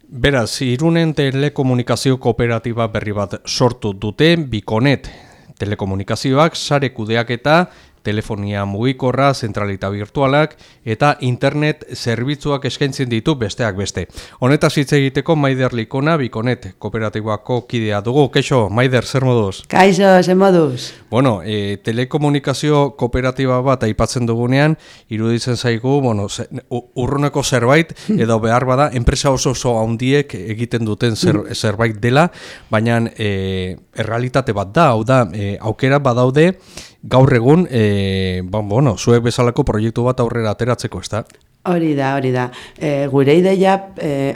Beraz, Irunen telekomunikazio kooperatiba berri bat sortu dute Bikonet. Telekomunikazioak sare kudeaketa, telefonia mugikorra, zentralita virtualak eta internet zerbitzuak eskaintzen ditu besteak beste. Honetaz hitz egiteko Maider Likona Bikonet kooperatibako kidea dugu. Kaixo, Maider, zer moduz? Kaixo, zer moduz? Bueno, telekomunikazio kooperatiba bat aipatzen dugunean, iruditzen zaigu, urruneko zerbait, edo behar bada, enpresa oso handiek egiten duten zerbait dela, baina errealitate bat da, hau da, aukera badaude, gaur egun, zuek bezalako proiektu bat aurrera ateratzeko, ez da? Hori da. Gure ideia,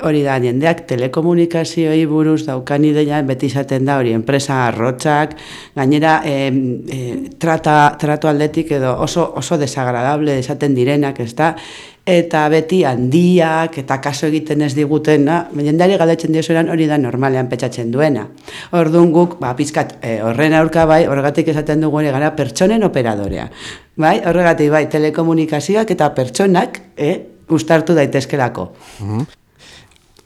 hori da, jendeak telekomunikazioei buruz daukan ideia, beti izaten da, hori, enpresa arrotzak, gainera, tratu aldetik edo oso desagradable esaten direnak, ez da? Eta beti handiak eta kaso egiten ez digutena, jendeari galdetzen diozueran hori da normalean petxatzen duena. Orduan guk, pizkat, horren aurka bai, horregatik esaten dugu ere gara pertsonen operadorea. Bai, horregatik bai, telekomunikazioak eta pertsonak uztartu daitezkelako.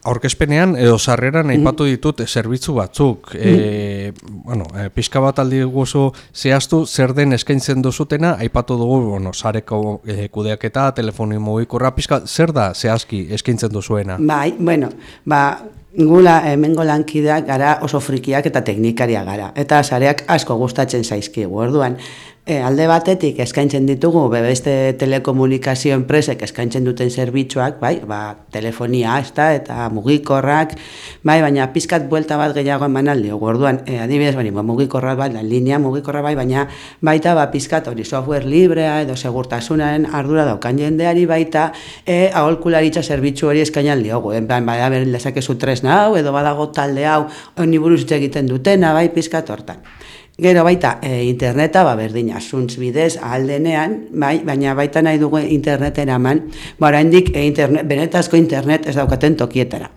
Aurkezpenean edo sarreran aipatu ditut zerbitzu batzuk. Pixka bat aldi guzu zehaztu zer den eskaintzen duzutena, aipatu dugu, sareko kudeaketa, telefonio mugikorra, pixka zer da zehazki eskaintzen duzuena? Gula hemengo lankideak gara oso frikiak eta teknikaria gara. Eta sareak asko gustatzen zaizkigu. Orduan, alde batetik eskaintzen ditugu beste telekomunikazio enpresek eskaintzen duten zerbitzuak, telefonia eta mugikorrak, baina pizkat buelta bat gehiago eman aldiogu. Orduan, adibidez, mugikorra bat, linea mugikorra baina baita pizkat hori software librea edo segurtasunaren ardura daukan jendeari baita aholkularitza zerbitzu hori eskain aldiogu. Bada lezakezu tresna hau edo badago talde hau honi buruz egiten dutena, pizkat hortan. Gero baita interneta, berdina, zuntz bidez, ahaldenean, baina baita nahi dugu interneten eman, oraindik benetazko internet ez daukaten tokietara.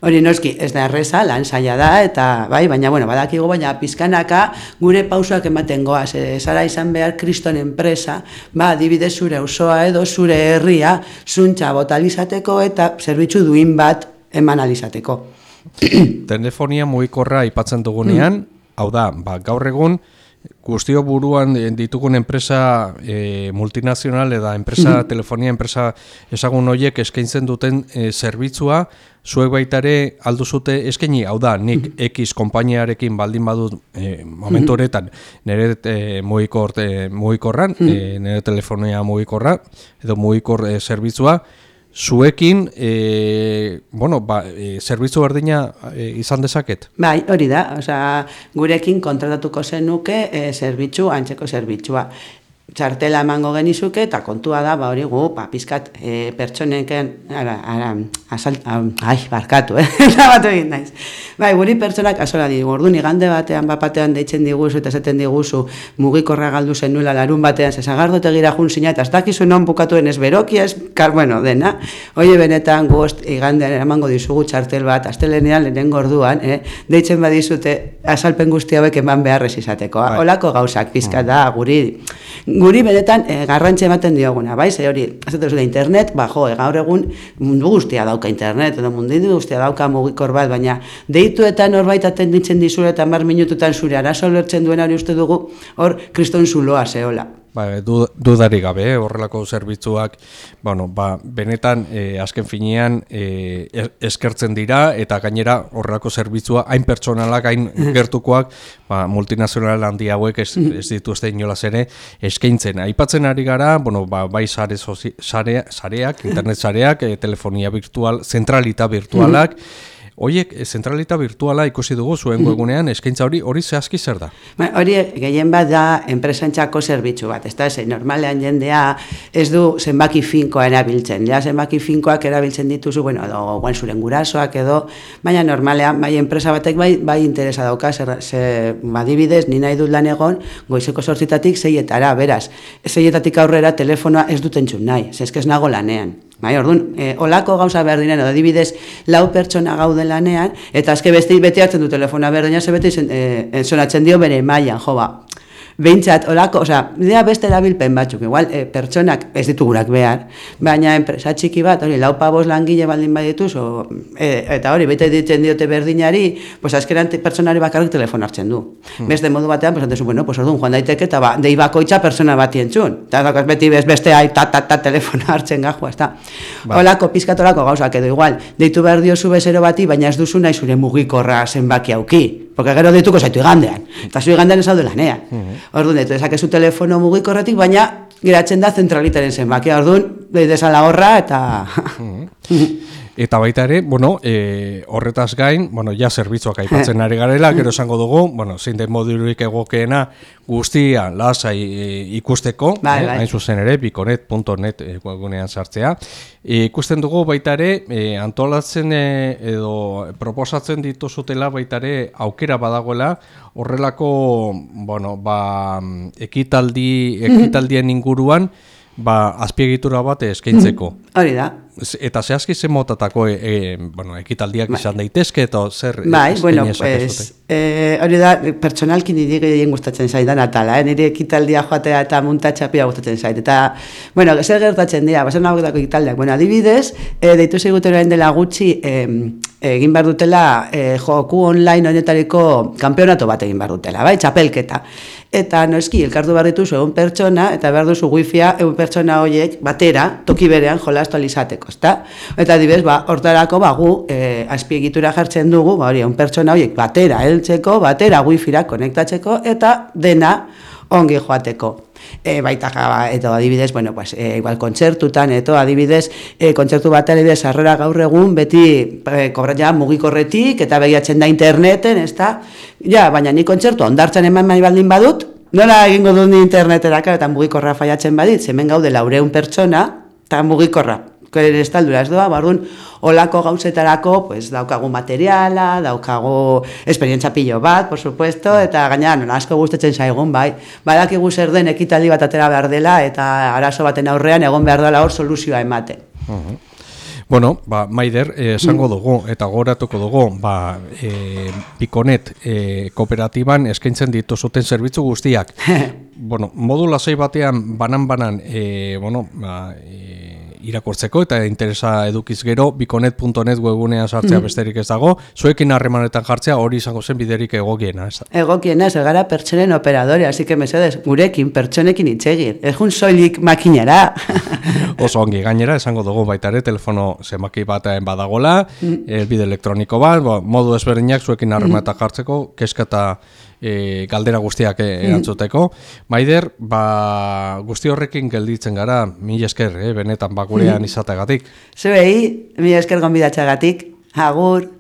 Hori noski, ez da erreza, lan zaila da, eta baina badakigu, baina pizkanaka gure pausoak ematen goaz, zara izan behar kriston enpresa, adibidez zure auzoa edo zure herria, zuntza botalizateko eta zerbitzu duin bat eman alizateko. Telefonia mugikorra aipatzen dugunean, hau da, gaur egun, guztio buruan ditugun enpresa multinazional eta telefonia enpresa ezagun horiek eskaintzen duten zerbitzua, zuek baitare alduzute eskaini, hau da, nik X konpainiarekin baldin badut momentu horretan nire mugikorran, nire telefonia mugikorra, edo mugikor zerbitzua, zuekin, zerbitzu berdina izan dezaket? Bai, hori da, gurekin kontratatuko zenuke zerbitzu, antzeko zerbitzua. Txartela emango genizuke eta kontua da, hori gu, pizkat pertsoneken, barkatu, batu egin naiz. Guri pertsonak azola digu, orduan igande batean deitzen diguzu eta esaten diguzu mugikorra galdu zenuela larun batean, zezagardote gira junzina eta ez dakizu non bukatuen ez beroki ez, dena. Oie benetan guzti igandean emango dizugu txartel bat, astelenean lehenengo orduan, deitzen badizute azalpen guzti hauek eman beharrez izateko. Olako gauzak pizkat da, guri benetan garrantzi ematen dioguna, ze hori, azatzen zure internet, gaur egun mundu guztia dauka internet, edo mundu guztia dauka mugikor bat, baina deituetan horbait atenditzen dizure eta 10 minututan zure arazo lertzen duena hori uste dugu, hor kriston zuloa zehola. Dudari gabe, horrelako zerbitzuak, benetan azken finean eskertzen dira eta gainera horrelako zerbitzua hain pertsonalak, hain gertukoak, multinazional handi hauek ez dituzte inolaz ere eskaintzen. Aipatzen ari gara, bai sareak, internet sareak, telefonia virtual, zentralita virtualak, Oiek, zentralita virtuala ikusi dugu zuen webgunean, eskaintza hori zehazki zer da? Hori gehien bat da enpresantzako zerbitzu bat, normalean jendea ez du zenbaki finkoa erabiltzen, zenbaki finkoak erabiltzen dituzu, edo zuren gurasoak edo, baina normalean, enpresa batek bai interesa dauka, adibidez, ni nahi dut lan egon, goizeko 8:00 6:00, beraz, 6:00 aurrera telefonoa ez dut entzun nahi, ez nago lanean. Orduan, olako gauza behar diren, adibidez, 4 pertsona gaude lanean, eta azke beste beti hartzen du telefona berdina, ze beti sonatzen dio bere mailan, behintzat, olako, dira beste erabilpen batzuk, igual, pertsonak ez ditugunak behar, baina enpresa txiki bat, hori, 4-5 langile baldin badituz, eta hori, bete ditzen diote berdinari, pues azkeran pertsonari bakarrik telefon hartzen du. Beste modu batean, pues antezu, bueno, pues orduan joan daiteke, eta dei bakoitza pertsona bati entzun. Eta dakaz beti beste telefona hartzen gajua, ez da. Olako, pizkatolako gauzak edo igual, deitu behar diozu bezero bati, baina ez duzu nahi zure mugikorra zenbaki auki. Porque gero deituko zaitu igandean, eta zu igandean ez hau lanean. Orduan, deitu dezakezu telefono mugikorretik, baina geratzen da zentralitaren zenbakia. Orduan, deidezala horra, eta... Eta baita ere, horretaz gain, ja zerbitzuak aipatzen ari garela, gero esango dugu, zein den modurik egokeena guztia lasai ikusteko, hain zuzen ere, biconet.net webgunean sartzea. Ikusten dugu baita ere, antolatzen edo proposatzen dituzutela baita ere aukera badagoela, horrelako, ekitaldien inguruan, azpiegitura bat eskaintzeko. Hori da. Eta zehazki zen motatako ekitaldiak izan daitezke eta zer hori da, pertsonalki niri gehien gustatzen zaidan atala, niri ekitaldia joatea eta muntatxapia gustatzen zait. Eta, zer gertatzen dira, bazen nagoetako ekitaldiak. Adibidez, deitu ziguterain dela gutxi, egin behar dutela joku online honetariko kanpeonato bat egin behar dutela, txapelketa. Eta noski, elkartu behar dituzu egun pertsona, eta behar duzu wifia egun pertsona horiek batera, toki berean jolastu alizateko, ezta? Eta adibidez, hortarako gu azpiegitura jartzen dugu, egun pertsona horiek batera heltzeko, batera wifira konektatzeko, eta dena ongi joateko. Baita edo adibidez, igual kontzertutan, edo adibidez, kontzertu bat adibidez, sarrera gaur egun, beti kobratza mugikorretik, eta begiatzen da interneten, ez da? Baina ni kontzertu ondartzen eman baldin badut, nola egingo dut ni interneteraka, eta mugikorra faiatzen badit, hemen gaude 400 pertsona, eta mugikorra, ez taldura ez doa, olako gauzetarako, daukagu materiala, daukagu esperientzia pilo bat, por supuesto, eta gaina asko gustatzen zaigun, badakigu zer den ekitaldi bat atera behar dela, eta arazo baten aurrean egon behar dela hor soluzioa ematen. Maider, esango dugu, eta gogoratuko dugu, Biconet kooperatiban eskaintzen dituzuten zerbitzu guztiak. Modu lasai batean, banan, irakurtzeko eta interesa edukiz gero, biconet.net webgunean sartzea besterik ez dago, zuekin harremanetan jartzea hori izango zen biderik egokiena. Egokiena, ez gara pertsonen operadore, así que mesedez, gurekin, pertsonekin itxegir, ez jun soilik makinera. Oso ongi, gainera, esango dugu baita ere, telefono zenbaki batean badagola, bide elektroniko bat, modu ezberdinak zuekin harremanetan jartzeko, keska eta galdera guztiak erantzuteko. Maider, guzti horrekin gelditzen gara, mila esker, benetan gurean izateagatik. Zuei, mila esker gonbidatzeagatik, agur.